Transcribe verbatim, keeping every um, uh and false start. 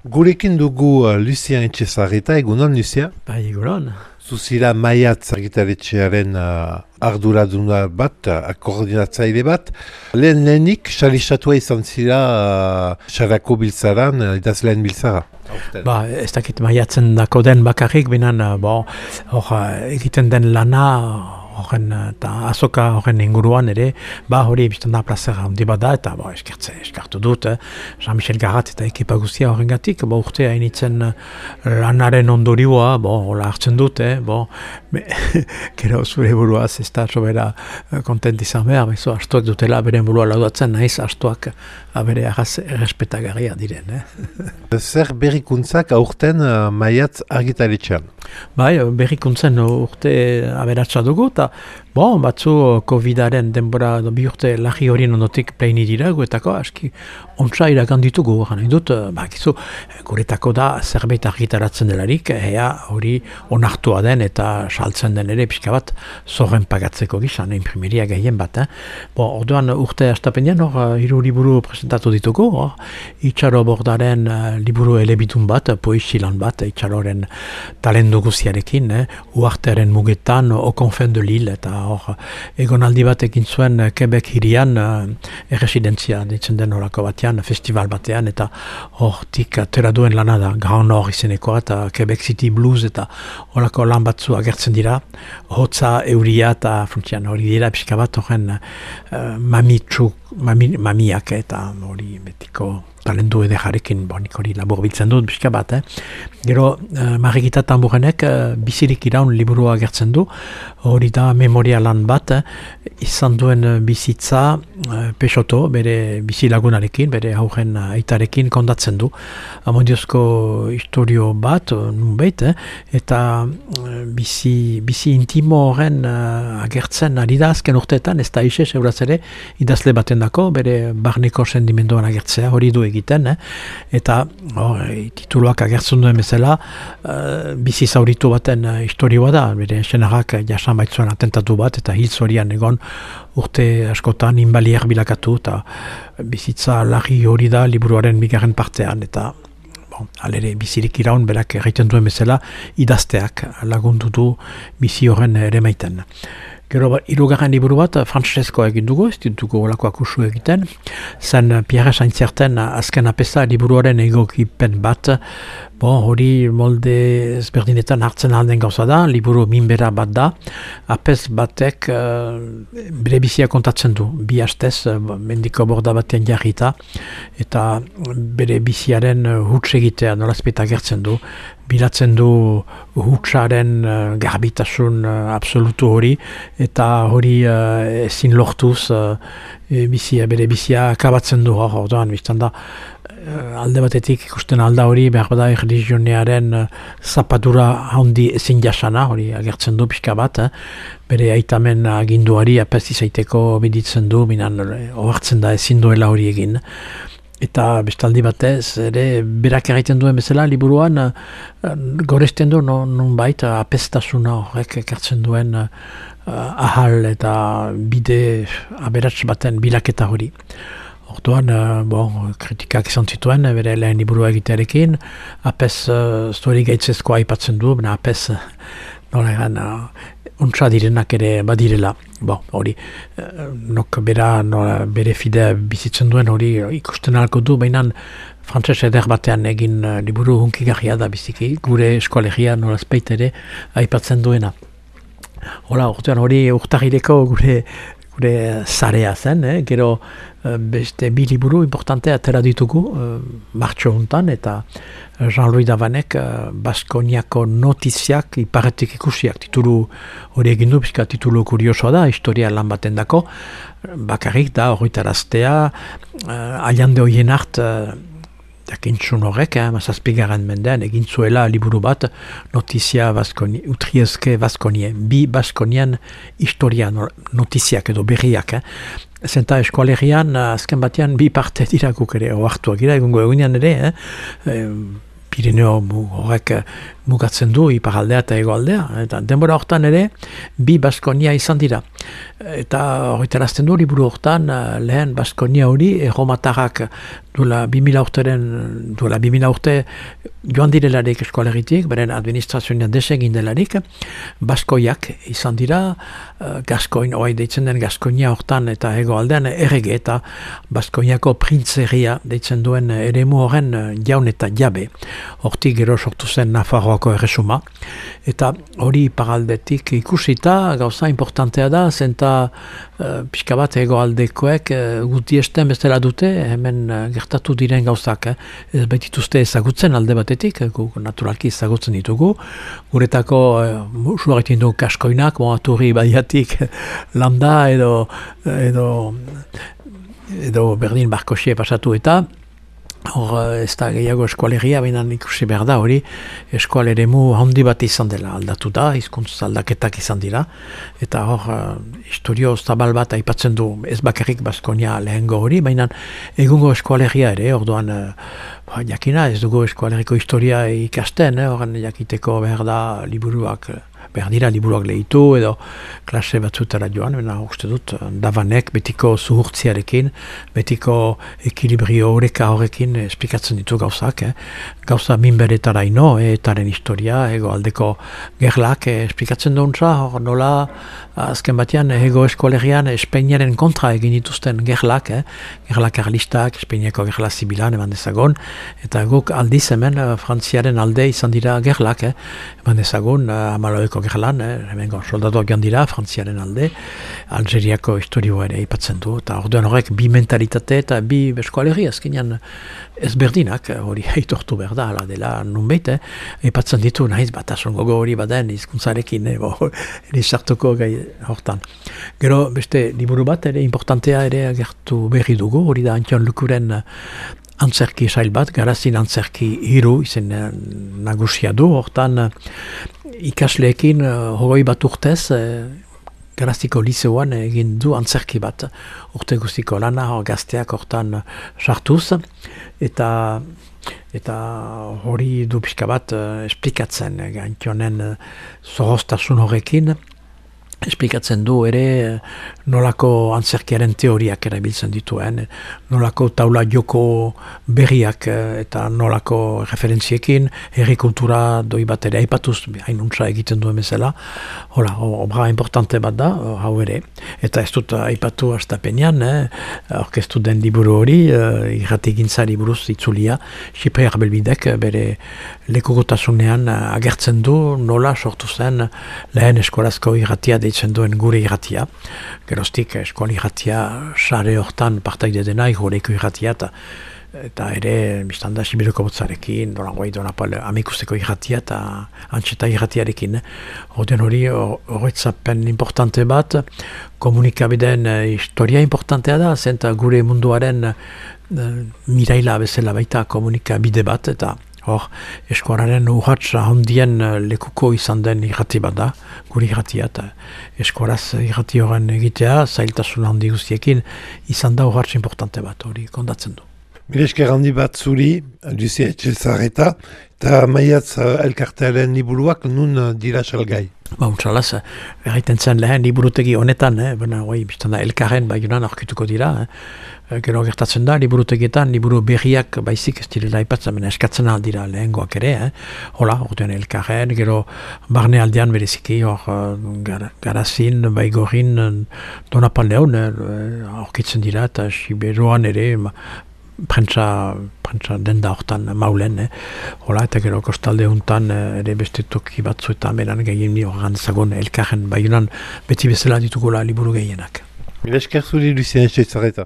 Gurekin dugu uh, Lucien Etxezarreta, egunon, Lucien? Bai, egunon. Zuzira Maiatz argitaletxearen uh, arduraduna bat, uh, koordinatzaile bat. Lehen lehenik, xalisatua izan zira uh, xarako biltzaran, uh, idazleen biltzara. Ba, ez dakit Maiatzen dako den bakarrik, binan, uh, bo, hor, uh, egiten den lana, horren, eta azoka horren inguruan ere, ba hori biztan da plazera handi bat da, eta bo, eskertze, eskartu dut, eh? Jean-Michel Garat eta ekipa guztia horren gatik, bo urte hainitzen lanaren ondorioa, bo, hola hartzen dut, eh? Bo, me, gero zure buruaz ez da sobera kontent izan behar, bezo, astuak dutela beren burua laudatzen, nahiz astuak bere agaz errespetagarria diren, eh? Zer berrikuntzak aurten uh, Maiatz argitaletxean? Bai, berrikuntzen urte aberatsa dugu, eta bon, batzu Covidaren denbora bi urte lagi horien ondotik pleini dira, guetako aski ontsa iragan ditugu, gana dut, bakizu, guretako da zerbait argitaratzen delarik, ea hori onartua den eta saltzen den ere pixka bat zorren pagatzeko gizan, imprimeria gehien bat. Eh? Bon, orduan urte astapenean hor hiru liburu presentatu ditugu, hor, Itxaro Bordaren uh, liburu elebitun bat, poesilan bat, Itxaroren talendu guziarekin, eh? Uartearen mugetan, Au confin de l'île, eta hor, egonaldi bat egin zuen Quebec hirian uh, erresidentzia ditzen den horako batean, festival batean, eta hortik atera duen lana da, Grand Nord izenekoa, eta Quebec City Blues, eta horako lan batzu agertzen dira, hotza, euria, eta funtsian hori dira pixka bat horren uh, mamitsu, mami, mamiak, eta hori betiko talendu edejarekin, bonik hori labur biltzen dut, pixka bat, eh? Gero, uh, Marigita Tamburenek uh, bizirik iraun liburua agertzen du, hori da memoria lan bat, eh? Izan duen uh, bizitza uh, Peixoto, bere bizi lagunarekin, bere haugen uh, aitarekin kondatzen du. Amondiozko historio bat, uh, nunbait, eh? Eta uh, bizi, bizi intimo horren uh, agertzen ari da azken urteetan, ez da isez euraz ere, idazle baten dako, bere barneko sendimenduan agertzea, hori du egiten, eh? Eta oh, tituluak agertzen duen bezala, uh, bizi zauritu baten uh, historioa da, bere senarrak jasan baitzuen atentatu bat, eta hil zorian egon urte askotan inbalier bilakatu, eta bizitza larri hori da liburuaren bigarren partean, eta bon, alere bizirik iraun berak egiten duen bezala idazteak lagundu du bizi horren ere maiten. Gero, hirugarren liburu bat, Francesco egin dugu, ez ditugu olako akusu egiten, zen Pierre Saintzerten azken apesa liburuaren egokipen bat, bon, hori molde ezberdinetan hartzen alden gauza da, liburu minbera bat da, apes batek uh, bere bizia kontatzen du, bi hastez, uh, mendiko borda batean jarrita, eta bere biziaren uh, huts egitea nolazpeta gertzen du, bilatzen du hutsaren uh, garbitasun uh, absolutu hori, eta hori uh, ezin lortuz uh, bizia, bere bizia akabatzen du hor, orduan, biztan da, uh, alde batetik ikusten alda hori, behar bada erlijionearen uh, zapatura handi ezin jasana, hori agertzen du pixka bat, eh? Bere aitamen aginduari apez izaiteko biditzen du, minan ohartzen da ezin duela hori egin. Eta bestaldi batez, ere berak egiten duen bezala, liburuan uh, goresten du non, non baita apestasuna horrek ekartzen duen uh, ahal eta bide aberats baten bilaketa hori. Orduan, uh, bon, kritikak izan zituen, bere lehen liburua egitearekin, apes uh, zori gaitzezkoa aipatzen du, bena apes uh, nola egan, uh, ontsa direnak ere badirela. Bon, hori, uh, nok bera, nola, bere fidea bizitzen duen hori ikusten alko du, baina frantses eder batean egin uh, liburu hunkigarria da biziki, gure eskolegia nola speit ere aipatzen duena. Hola, orduan hori urtagireko gure gure zarea zen, eh? Gero uh, beste bi liburu importante atera ditugu uh, martxo hontan, eta Jean-Louis Davanek uh, Baskoniako notiziak iparetik ikusiak titulu hori egin du, pixka titulu kuriosoa da, historia lan baten dako, bakarrik da horretaraztea, uh, aliande hoien hart uh, jakintzun horrek, eh, mazazpigaren mendean, egin zuela liburu bat, notizia Baskoni, utriezke Baskonien, bi Baskonien historia notiziak edo berriak. Eh. Zenta eskualerian, azken batean, bi parte dira guk ere, oartuak gira, egungo egunean ere, eh, Pirineo horrek mugatzen du iparaldea eta hegoaldea. Eta denbora hortan ere, bi Baskonia izan dira. Eta horretarazten du liburu hortan lehen Baskonia hori erromatarrak duela bi mila urteren, duela bi mila urte joan direlarik eskoaleritik, beren administrazioan desegin delarik, Baskoiak izan dira, Gaskoin, oai deitzen den Gaskonia hortan eta hegoaldean errege eta Baskoiako printzeria deitzen duen eremu horren jaun eta jabe. Hortik gero sortu zen Nafarroako erresuma. Eta hori iparaldetik ikusita gauza importantea da, zenta uh, pixka bat hegoaldekoek uh, guti esten bestela dute, hemen uh, gertatu diren gauzak. Eh? Ez baitituzte ezagutzen alde batetik, guk naturalki ezagutzen ditugu. Guretako uh, usuaretin dugu Kaskoinak, moaturri badiatik landa edo, edo, edo berdin Barkoxie pasatu eta hor ez da gehiago eskualegia, baina ikusi behar da hori eskualeremu handi bat izan dela aldatu da, hizkuntz aldaketak izan dira, eta hor uh, historio zabal bat aipatzen du ez bakarrik Baskonia lehengo hori, baina egungo eskualegia ere, orduan uh, jakina ez dugu eskualeriko historia ikasten, eh, horren jakiteko behar da liburuak behar dira liburuak lehitu edo klase batzutara joan, baina uste dut Davanek betiko zuhurtziarekin, betiko ekilibrio horreka horrekin esplikatzen ditu gauzak. Eh? Gauza minberetara ino, eh, etaren historia, ego aldeko gerlak eh, esplikatzen duntza, hor nola azken batean ego eskolegian Espainiaren kontra egin dituzten gerlak, eh? Gerlak karlistak, Espainiako gerla zibilan eman dezagon, eta guk aldiz hemen Frantziaren alde izan dira gerlak, eh? Eman dezagon, Amaloeko gerlan, eh? Hemen soldatuak joan dira Frantziaren alde, Algeriako historioa ere ipatzen du, eta orduan horrek bi mentalitate eta bi eskualerri azkenean ezberdinak, hori aitortu behar da, ala dela nunbait, eh? Ipatzen ditu, nahiz batasun gogo hori baden hizkuntzarekin, eh? Bo, eri sartuko gai hortan. Gero beste liburu bat ere importantea ere agertu berri dugu, hori da Antxon Lukuren antzerki sail bat, Garazin antzerki hiru izen nagusia du, hortan ikasleekin hogei bat urtez, Garaziko liseoan egin du antzerki bat, urte guztiko lana, gazteak hortan sartuz, eta eta hori du pixka bat esplikatzen, Antxonen zorroztasun horrekin, esplikatzen du ere nolako antzerkiaren teoriak erabiltzen dituen, nolako taula joko berriak eta nolako referentziekin, herri kultura doi bat ere aipatuz, hainuntza egiten duen bezala, hola, obra importante bat da, hau ere, eta ez dut aipatu hastapenean, eh, orkestu den liburu hori, eh, irrati gintzari buruz itzulia, Xipre Arbelbidek bere lekugotasunean agertzen du nola sortu zen lehen eskolazko irratia deitzen duen gure irratia. Geroztik eskola irratia sare hortan partaide dena igureko irratia eta eta ere biztanda Sibiroko botzarekin, dolan guai donapal amikusteko irratia eta antxeta irratiarekin. Horten hori horretzapen importante bat, komunikabideen historia importantea da, zenta gure munduaren miraila bezala baita komunikabide bat, eta hor, eskuararen urratsa handien lekuko izan den irrati bat da, gure irratia, eta eskuaraz irrati horren egitea, zailtasun handi guztiekin, izan da urratsa importante bat, hori kondatzen du. Milesker handi bat zuri, Lucia Etxezarreta, eta maiatz elkartearen liburuak nun dira salgai. Ba, untsalaz, erraiten zen lehen liburutegi honetan, eh? Baina, oi, biztanda elkarren baionan aurkituko dira, eh? Gero gertatzen da, liburutegietan, liburu berriak baizik ez direla aipatzen, baina eskatzen aldira lehengoak ere, eh? Hola, orduan elkarren, gero barne aldean bereziki, hor gar, Garazin, Baigorin, Donapaldeon, eh? Aurkitzen dira, eta Siberuan ere, prentsa, prentsa denda hortan maulen, eh? Hola, eta gero kostalde hontan ere beste toki batzuetan beran gehien horran zagon elkarren baionan beti bezala ditugula liburu gehienak. Milesker zuri, Lucien Etxezarreta.